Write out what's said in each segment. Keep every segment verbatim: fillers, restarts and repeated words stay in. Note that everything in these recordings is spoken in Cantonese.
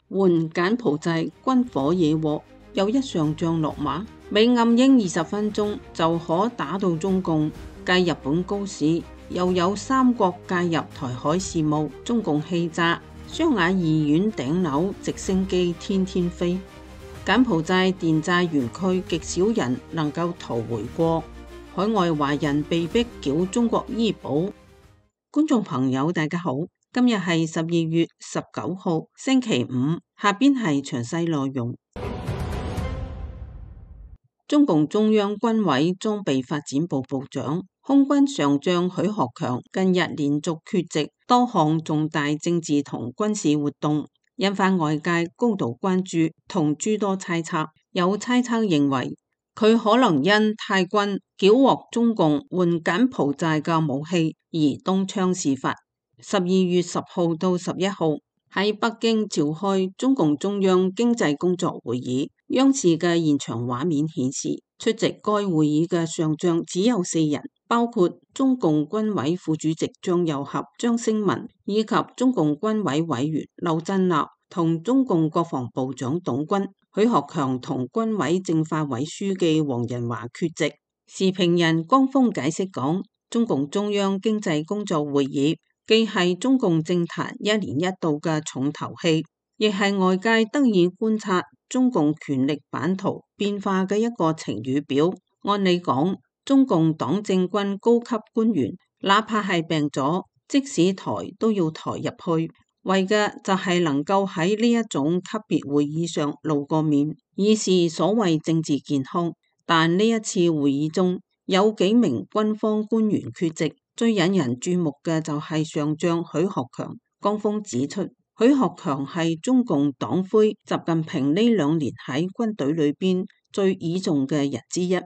援柬埔寨軍火惹禍，又一上將落馬，美暗英二十分鐘就可打到中共。繼日本高市，又有三國介入台海事務，中共氣炸，雙雅醫院頂樓直升機天天飛。柬埔寨電債園區極少人能夠逃回國，海外華人被逼繳中國醫保。觀眾朋友大家好，今日係十二月十九號星期五，下邊係詳細內容。中共中央軍委裝備發展部部長、空軍上將許學強近日連續缺席多項重大政治同軍事活動，引發外界高度關注同諸多猜測。有猜測認為，佢可能因泰軍繳獲中共援柬埔寨嘅武器而東窗事發。十二月十號到十一號喺北京召開中共中央經濟工作會議，央視嘅現場畫面顯示，出席該會議嘅上將只有四人，包括中共軍委副主席張又俠、張星文，以及中共軍委委員劉振立同中共國防部長董軍。許學強同軍委政法委書記黃仁華缺席。時評人江峰解釋講，中共中央經濟工作會議既係中共政壇一年一度嘅重頭戲，亦係外界得以觀察中共權力版圖變化嘅一個晴雨表。按理講，中共黨政軍高級官員哪怕係病咗，即使抬都要抬入去，為嘅就係能夠喺呢一種級別會議上露個面，以示所謂政治健康。但呢一次會議中有幾名軍方官員缺席，最引人注目嘅就係上將許學強。江峰指出，許學強係中共黨魁習近平呢兩年喺軍隊裏邊最倚重嘅人之一，而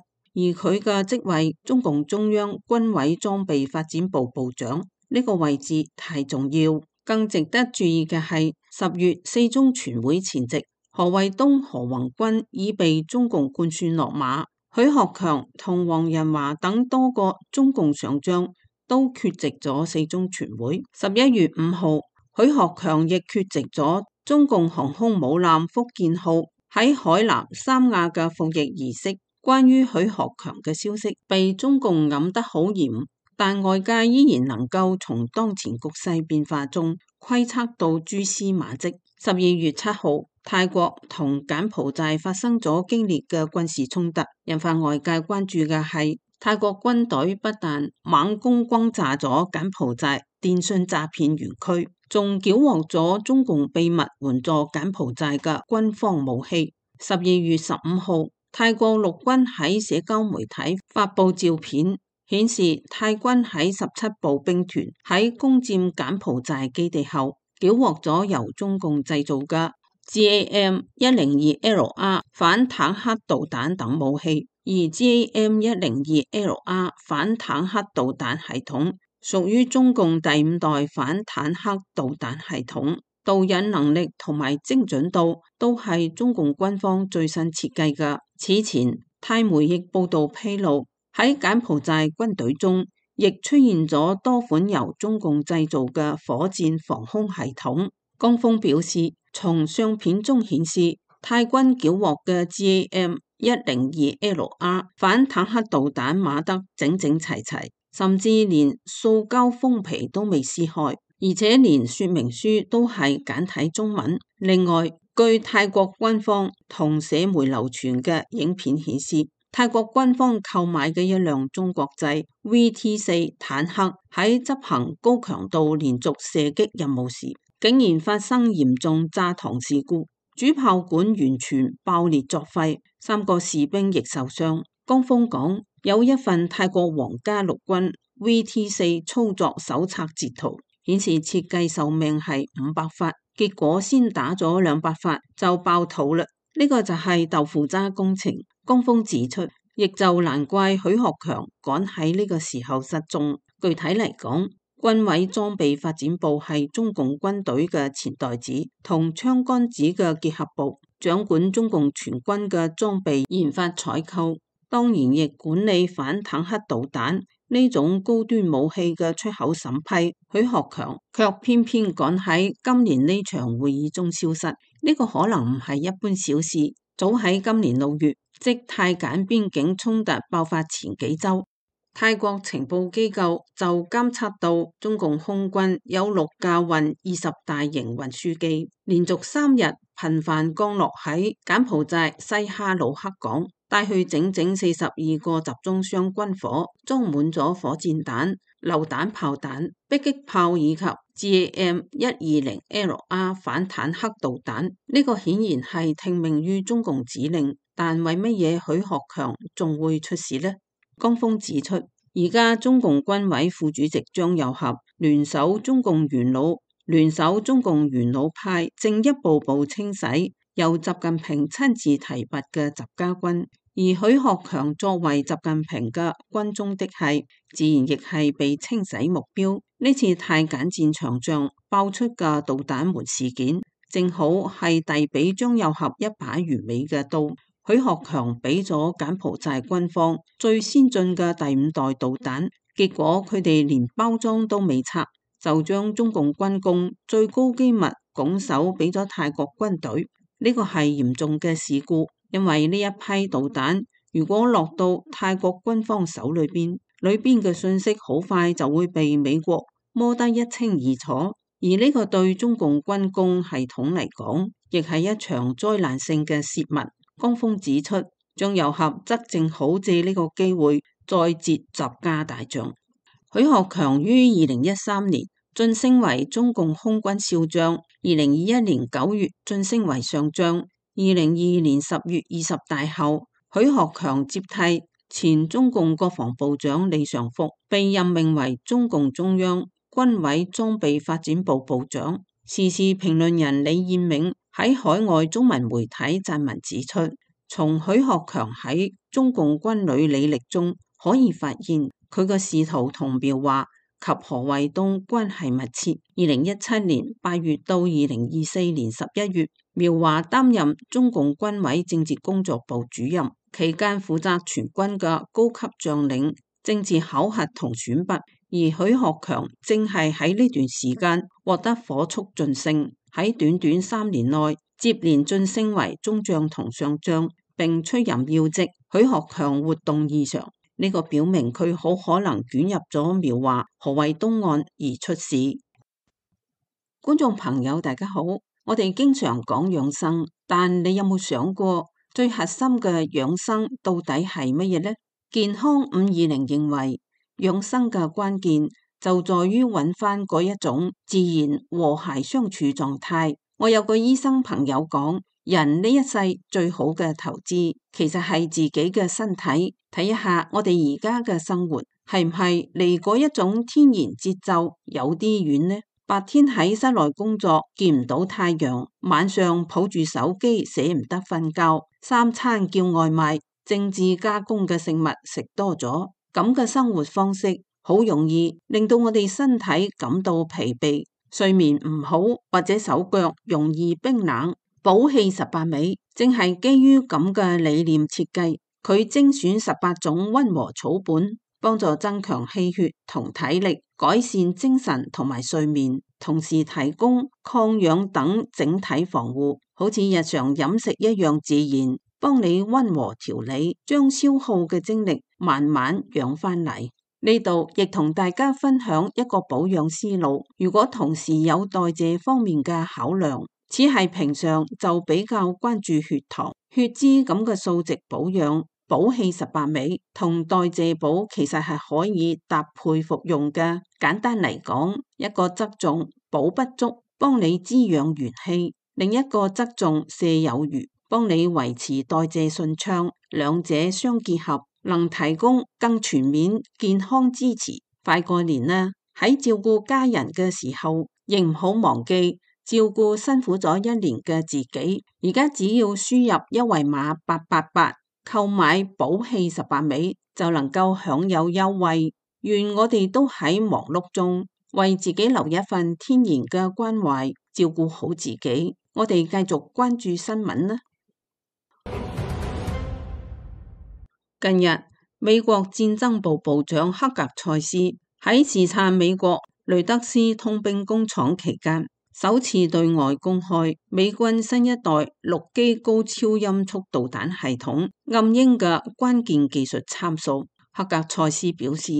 佢嘅職位中共中央軍委裝備發展部部長呢個位置太重要。更值得注意嘅係，十月四中全會前夕，何衛東、何宏軍已被中共灌輸落馬，許學強同黃仁華等多個中共上將都缺席咗四中全會。十一月五號，許學強亦缺席咗中共航空母艦福建號喺海南三亞嘅服役儀式。關於許學強嘅消息被中共揞得好嚴，但外界依然能夠從當前局勢變化中窺測到蛛絲馬跡。十二月七號，泰國同柬埔寨發生咗激烈嘅軍事衝突，引發外界關注嘅係泰國軍隊不但猛攻轟炸咗柬埔寨電信詐騙園區，仲繳獲咗中共秘密援助柬埔寨嘅軍方武器。十二月十五號，泰國陸軍喺社交媒體發布照片，顯示泰軍喺十七步兵團喺攻佔柬埔寨基地後，繳獲咗由中共製造嘅 G A M 一零二 L R 反坦克導彈等武器，而 G A M 一零二 L R 反坦克導彈系統屬於中共第五代反坦克導彈系統，導引能力同埋精準度都係中共軍方最新設計嘅。此前泰媒亦報道披露，喺柬埔寨軍隊中亦出現咗多款由中共製造嘅火箭防空系統。江峰表示，從相片中顯示，泰軍繳獲嘅 G A M 一零二 L R 反坦克導彈碼得整整齊齊，甚至連塑膠封皮都未撕開，而且連說明書都係簡體中文。另外，據泰國軍方同社媒流傳嘅影片顯示，泰國軍方購買嘅一輛中國製 V T 四坦克喺執行高強度連續射擊任務時，竟然發生嚴重炸膛事故，主炮管完全爆裂作廢，三個士兵亦受傷。江峰講，有一份泰國皇家陸軍 V T 四操作手冊截圖，顯示設計壽命係五百發，結果先打咗兩百發就爆肚啦。呢個就係豆腐渣工程。江峰指出，亦就難怪許學強趕喺呢個時候失蹤。具體嚟講，軍委裝備發展部係中共軍隊嘅錢袋子同槍桿子嘅結合部，掌管中共全軍嘅裝備研發採購，當然亦管理反坦克導彈呢種高端武器嘅出口審批，許學強卻偏偏趕喺今年呢場會議中消失。呢個可能唔係一般小事。早喺今年六月，即泰柬邊境衝突爆發前幾週，泰國情報機構就監測到中共空軍有六架運二十大型運輸機，連續三日頻繁降落喺柬埔寨西哈努克港，帶去整整四十二個集裝箱軍火，裝滿咗火箭彈、榴彈炮彈、迫擊炮以及 G M 一二零 L R 反坦克導彈。呢、這個顯然係聽命於中共指令，但為乜嘢許學強仲會出事呢？江峰指出，而家中共軍委副主席張又俠聯手中共元老，聯手中共元老派，正一步步清洗由習近平親自提拔嘅習家軍。而許學強作為習近平嘅軍中的係，自然亦係被清洗目標。呢次泰柬戰場上爆出嘅導彈門事件，正好係遞俾張又俠一把完美嘅刀。許學強俾咗柬埔寨軍方最先進嘅第五代導彈，結果佢哋連包裝都未拆，就將中共軍工最高機密拱手俾咗泰國軍隊。呢個係嚴重嘅事故，因為呢一批導彈如果落到泰國軍方手裏邊，裏邊嘅信息好快就會被美國摸得一清二楚，而呢個對中共軍工系統嚟講，亦係一場災難性嘅洩密。江峰指出，張又俠則正好借呢個機會再接習家大將。許學強於二零一三年晉升為中共空軍少將，二零二一年九月晉升為上將，二零二二年十月二十大後，許學強接替前中共國防部長李尚福，被任命為中共中央軍委裝備發展部部長。時事評論人李彥銘喺海外中文媒體撰文指出，從許學強喺中共軍旅履歷中可以發現，佢嘅仕途同苗華及何衛東關係密切。二零一七年八月到二零二四年十一月，苗華擔任中共軍委政治工作部主任，期間負責全軍嘅高級將領政治考核同選拔。而許學強正係喺呢段時間獲得火速晉升，喺短短三年內接連晉升為中將同上將，並出任要職。許學強活動異常，呢、這個表明佢好可能捲入咗苗華、何衛東案而出事。觀眾朋友大家好，我哋經常講養生，但你有冇想過最核心嘅養生到底係乜嘢呢？健康五二零認為，養生嘅關鍵就在於揾翻嗰一種自然和諧相處狀態。我有個醫生朋友講，人呢一世最好嘅投資其實係自己嘅身體。睇一下我哋而家嘅生活係唔係離嗰一種天然節奏有啲遠呢？白天喺室內工作見唔到太陽，晚上抱住手機捨唔得瞓覺，三餐叫外賣，精緻加工嘅食物食多咗。咁嘅生活方式好容易令到我哋身體感到疲憊，睡眠唔好或者手腳容易冰冷。補氣十八味正係基於咁嘅理念設計，佢精選十八種溫和草本，幫助增強氣血同體力，改善精神同埋睡眠，同時提供抗氧等整體防護，好似日常飲食一樣自然，幫你溫和調理，將消耗嘅精力慢慢養翻嚟。呢度亦同大家分享一個保養思路，如果同時有代謝方面嘅考量，只係平常就比較關注血糖、血脂咁嘅數值保養，補氣十八味同代謝補其實係可以搭配服用嘅。簡單嚟講，一個側重補不足，幫你滋養元氣；另一個側重瀉有餘，幫你維持代謝順暢，兩者相結合，能提供更全面健康支持。快過年啦，喺照顧家人嘅時候，亦唔好忘記照顧辛苦咗一年嘅自己。而家只要輸入一維碼八八八，購買補氣十八味就能夠享有優惠。願我哋都喺忙碌中為自己留一份天然嘅關懷，照顧好自己。我哋繼續關注新聞啦。近日美國戰爭部部長克格塞斯喺視察美國雷德斯通兵工廠期間，首次對外公開美軍新一代陸基高超音速導彈系統暗鷹嘅關鍵技術參數。克格塞斯表示，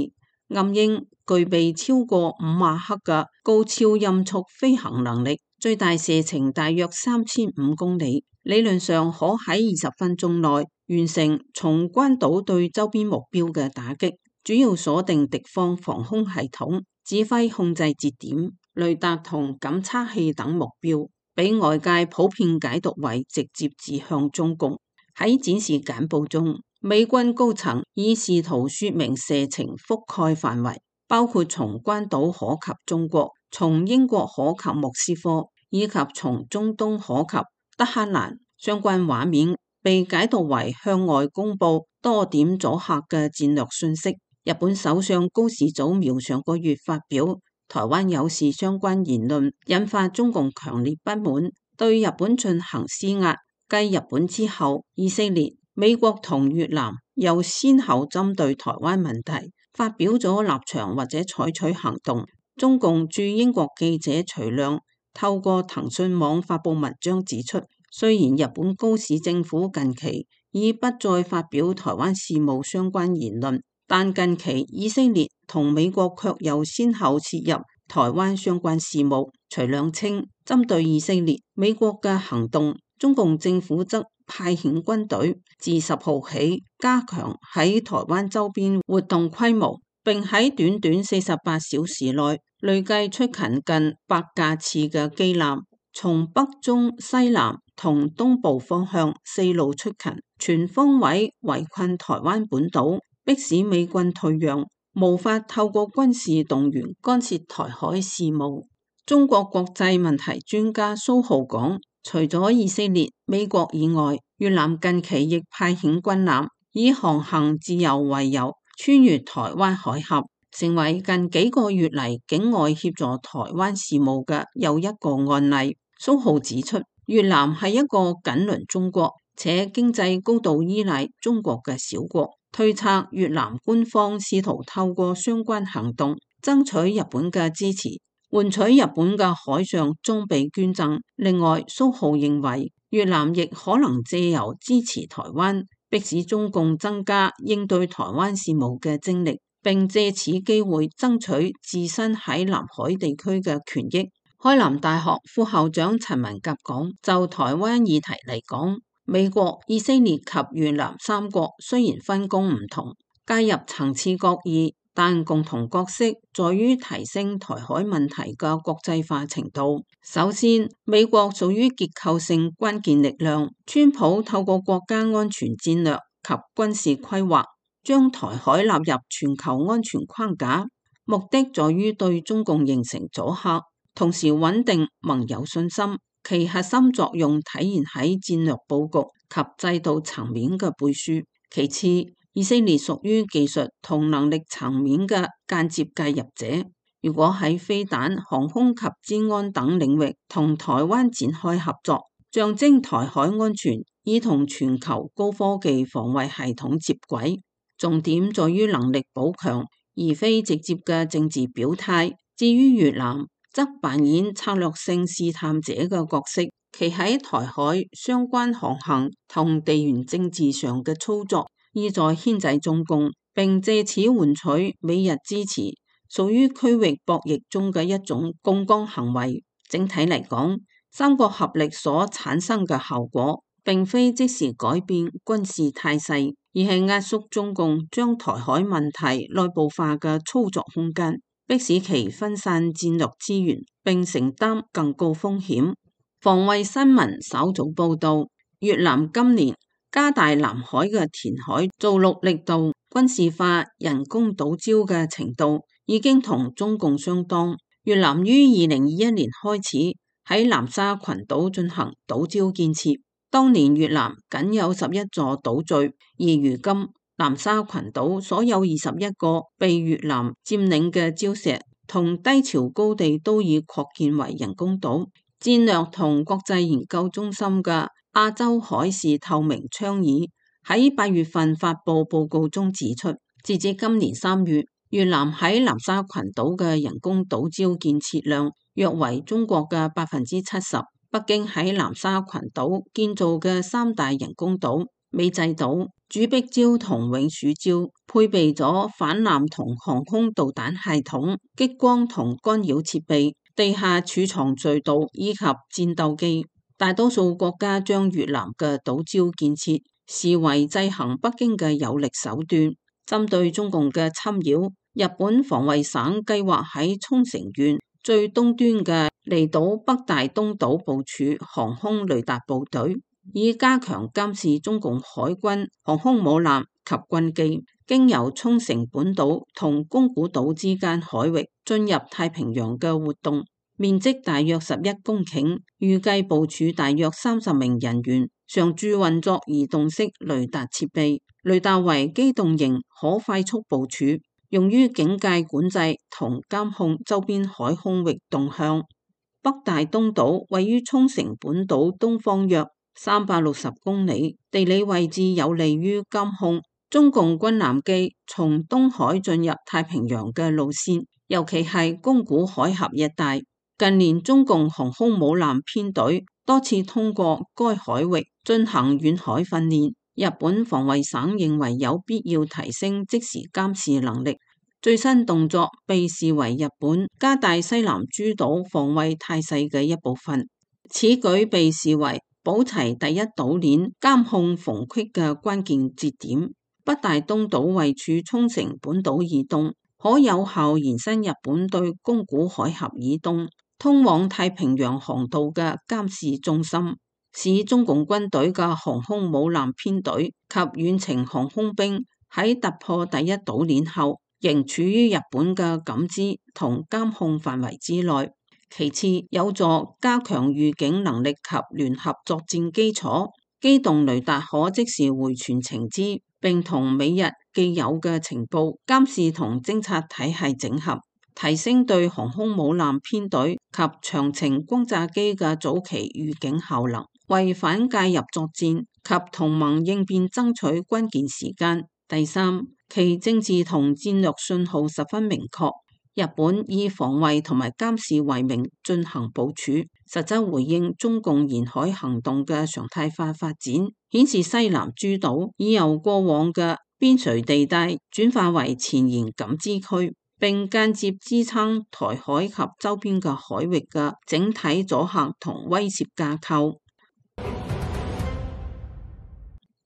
暗鷹具備超過五馬赫嘅高超音速飛行能力，最大射程大約三千五公里，理論上可喺二十分鐘內完成從關島對周邊目標嘅打擊，主要鎖定敵方防空系統、指揮控制節點、雷達同感測器等目標，俾外界普遍解讀為直接指向中共。喺展示簡報中，美軍高層已試圖說明射程覆蓋範圍，包括從關島可及中國，從英國可及莫斯科，以及從中東可及德黑蘭。相關畫面被解讀為向外公布多點阻嚇嘅戰略信息。日本首相高市早苗上個月發表台灣有事相關言論，引發中共強烈不滿，對日本進行施壓。繼日本之後，以色列、美國同越南又先後針對台灣問題發表咗立場或者採取行動。中共駐英國記者徐亮透過騰訊網發布文章指出，雖然日本高市政府近期已不再發表台灣事務相關言論，但近期以色列同美國卻又先後切入台灣相關事務。徐亮稱，針對以色列、美國嘅行動，中共政府則派遣軍隊自十號起加強喺台灣周邊活動規模，並喺短短四十八小時內累計出勤近百架次嘅機艦，從北中西南同東部方向四路出勤，全方位圍困台灣本島，迫使美軍退讓，無法透過軍事動員干涉台海事務。中國國際問題專家蘇浩講，除咗以色列、美國以外，越南近期亦派遣軍艦以航行自由為由，穿越台灣海峽，成為近幾個月嚟境外協助台灣事務嘅又一個案例。蘇浩指出，越南係一個緊鄰中國且經濟高度依賴中國嘅小國，推測越南官方試圖透過相關行動爭取日本嘅支持，換取日本嘅海上裝備捐贈。另外，蘇浩認為越南亦可能借由支持台灣，迫使中共增加應對台灣事務嘅精力，並借此機會爭取自身喺南海地區嘅權益。開南大學副校長陳文甲講，就台灣議題嚟講，美國、以色列及越南三國雖然分工唔同，介入層次各異，但共同角色在於提升台海問題嘅國際化程度。首先，美國屬於結構性關鍵力量，川普透過國家安全戰略及軍事規劃，將台海納入全球安全框架，目的在於對中共形成阻嚇，同時穩定盟友信心。其核心作用體現喺戰略佈局及制度層面嘅背書。其次，以色列屬於技術同能力層面嘅間接介入者。如果喺飛彈、航空及資安等領域同台灣展開合作，象徵台海安全已同全球高科技防衛系統接軌。重點在於能力補強，而非直接嘅政治表態。至於越南，則扮演策略性試探者嘅角色，其喺台海相關航行同地緣政治上嘅操作，意在牽制中共，並借此換取美日支持，屬於區域博弈中嘅一種槓桿行為。整體嚟講，三國合力所產生嘅效果，並非即時改變軍事態勢，而係壓縮中共將台海問題內部化嘅操作空間，迫使其分散戰略資源，並承擔更高風險。防衛新聞稍早報道，越南今年加大南海嘅填海造陸力度，軍事化人工島礁嘅程度已經同中共相當。越南於二零二一年開始喺南沙群島進行島礁建設，當年越南僅有十一座島嶼，而如今南沙群島所有二十一個被越南佔領嘅礁石同低潮高地都已擴建為人工島。戰略同國際研究中心嘅亞洲海事透明倡議喺八月份發布報告中指出，截至今年三月，越南喺南沙群島嘅人工島礁建設量約為中國嘅百分之七十。北京喺南沙群島建造嘅三大人工島美濟島、主碧礁同永暑礁，配備咗反艦同航空導彈系統、激光同干擾設備、地下儲藏隧道以及戰鬥機。大多數國家將越南嘅島礁建設視為制衡北京嘅有力手段。針對中共嘅侵擾，日本防衛省計劃喺沖繩縣最東端嘅離島北大東島部署航空雷達部隊，以加強監視中共海軍航空母艦及軍機經由沖繩本島同宮古島之間海域進入太平洋嘅活動。面積大約十一公頃，預計部署大約三十名人員，常駐運作移動式雷達設備。雷達為機動型，可快速部署，用於警戒管制同監控周邊海空域動向。北大東島位於沖繩本島東方約三百六十公里，地理位置有利於監控中共軍艦機從東海進入太平洋嘅路線，尤其係宮古海峽一帶。近年中共航空母艦編隊多次通過該海域進行遠海訓練，日本防衛省認為有必要提升即時監視能力。最新動作被視為日本加大西南諸島防衛態勢嘅一部分，此舉被視為保齊第一島鏈監控縫隙嘅關鍵節點。北大東島位處沖繩本島以東，可有效延伸日本對宮古海峽以東通往太平洋航道嘅監視中心，使中共軍隊嘅航空母艦編隊及遠程航空兵喺突破第一島鏈後，仍處於日本嘅感知同監控範圍之內。其次，有助加強預警能力及聯合作戰基礎，機動雷達可即時回傳情資，並同美日既有嘅情報監視同偵察體系整合，提升對航空母艦編隊及長程轟炸機嘅早期預警效能，為反介入作戰及同盟應變爭取關鍵時間。第三，其政治同戰略信號十分明確，日本以防衛同埋監視為名進行部署，實質回應中共沿海行動嘅常態化發展，顯示西南諸島已由過往嘅邊陲地帶轉化為前沿感知區，並間接支撐台海及周邊嘅海域嘅整體阻嚇同威懾架構。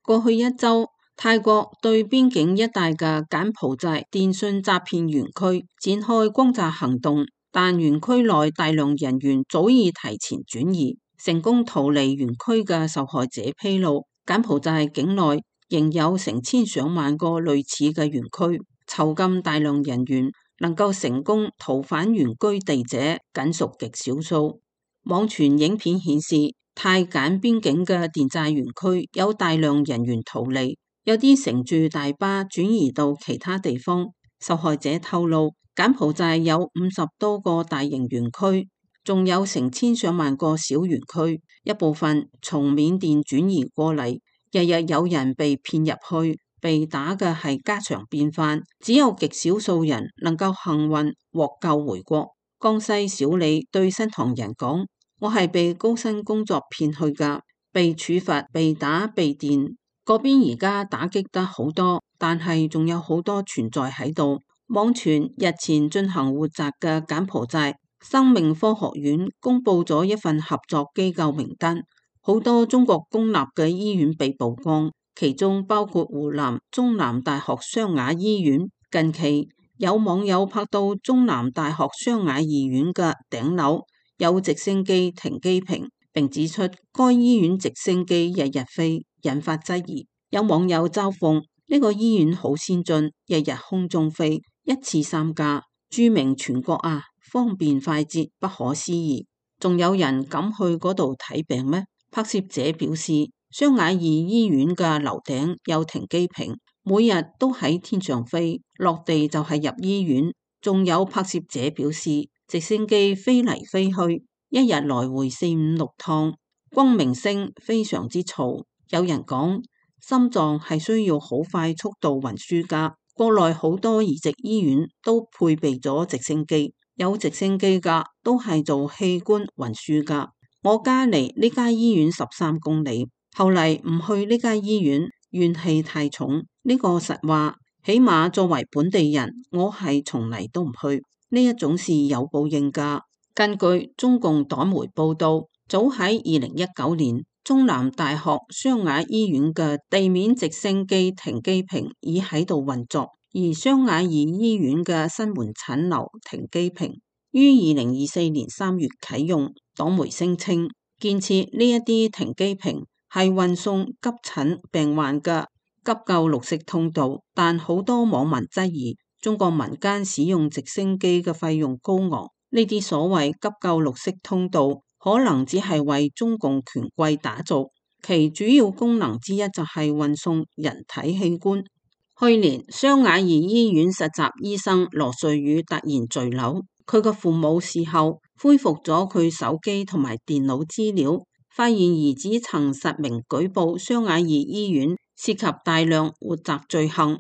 過去一周，泰國對邊境一帶嘅柬埔寨電信詐騙園區展開轟炸行動，但園區內大量人員早已提前轉移，成功逃離園區嘅受害者披露，柬埔寨境內仍有成千上萬個類似嘅園區，囚禁大量人員，能夠成功逃返原居地者僅屬極少數。網傳影片顯示，泰柬邊境嘅電詐園區有大量人員逃離，有啲乘住大巴轉移到其他地方。受害者透露，柬埔寨有五十多個大型園區，仲有成千上萬個小園區，一部分從緬甸轉移過嚟，日日有人被騙入去，被打嘅係家常便飯，只有極少數人能夠幸運獲救回國。江西小李對新唐人講：我係被高薪工作騙去㗎，被處罰、被打、被電。嗰邊而家打擊得好多，但係仲有好多存在喺度。網傳日前進行活摘嘅柬埔寨生命科學院公布咗一份合作機構名單，好多中國公立嘅醫院被曝光，其中包括湖南中南大學湘雅醫院。近期有網友拍到中南大學湘雅醫院嘅頂樓有直升機停機坪，並指出該醫院直升機日日飛，引發質疑。有網友嘲諷呢個醫院好先進，日日空中飛，一次三架，著名全國啊，方便快捷，不可思議。仲有人敢去嗰度睇病咩？拍攝者表示，湘雅二醫院嘅樓頂有停機坪，每日都喺天上飛，落地就係入醫院。仲有拍攝者表示，直升機飛嚟飛去，一日來回四五六趟，光明聲非常之嘈。有人講，心臟係需要好快速度運輸㗎。國內好多移植醫院都配備咗直升機，有直升機㗎都係做器官運輸㗎。我家離呢家醫院十三公里，後嚟唔去呢家醫院，怨氣太重。呢個實話，起碼作為本地人，我係從嚟都唔去。呢一種事有報應㗎。根據中共黨媒報道，早喺二零一九年，中南大學湘雅醫院嘅地面直升機停機坪已喺度運作，而湘雅二醫院嘅新門診樓停機坪於二零二四年三月啟用。黨媒聲稱，建設呢一啲停機坪係運送急診病患嘅急救綠色通道，但好多網民質疑中國民間使用直升機嘅費用高昂，呢啲所謂急救綠色通道可能只係為中共權貴打造，其主要功能之一就係運送人體器官。去年湘雅二醫院實習醫生羅瑞宇突然墜樓，佢嘅父母事後恢復咗佢手機同埋電腦資料，發現兒子曾實名舉報湘雅二醫院涉及大量活摘罪行。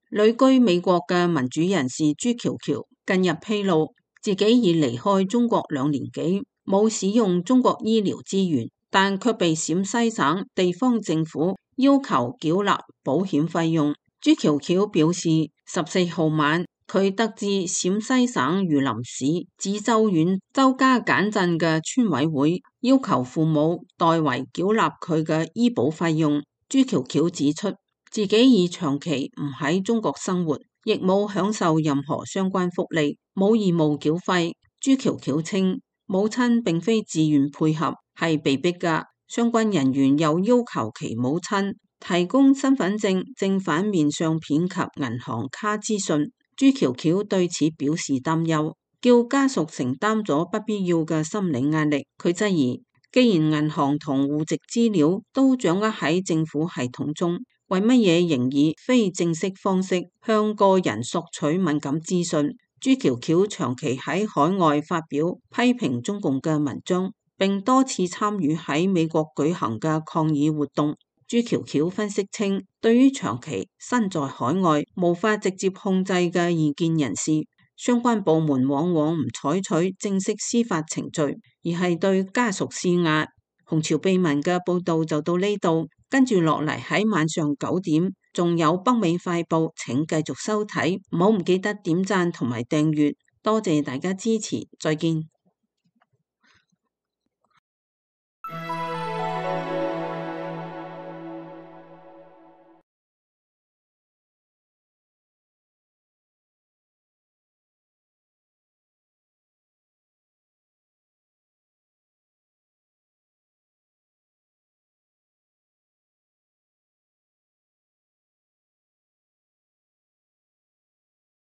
旅居美國嘅民主人士朱喬喬近日披露，自己已離開中國兩年幾，冇使用中國醫療資源，但卻被陝西省地方政府要求繳納保險費用。朱喬喬表示，十四號晚佢得知陝西省榆林市梓州縣周家簡鎮嘅村委會要求父母代為繳納佢嘅醫保費用。朱喬喬指出，自己已長期唔喺中國生活，亦冇享受任何相關福利，冇義務繳費。朱喬喬稱，母親並非自願配合，係被逼㗎。相關人員又要求其母親提供身份證正反面相片及銀行卡資訊。朱喬喬對此表示擔憂，叫家屬承擔咗不必要嘅心理壓力。佢質疑，既然銀行同戶籍資料都掌握喺政府系統中，為乜嘢仍以非正式方式向個人索取敏感資訊？朱喬喬長期喺海外發表批評中共嘅文章，並多次參與喺美國舉行嘅抗議活動。朱喬喬分析稱，對於長期身在海外無法直接控制嘅異見人士，相關部門往往唔採取正式司法程序，而係對家屬施壓。紅潮秘聞嘅報道就到呢度，跟住落嚟喺晚上九點仲有北美快報，請繼續收睇，唔好唔記得點讚同埋訂閱，多謝大家支持，再見。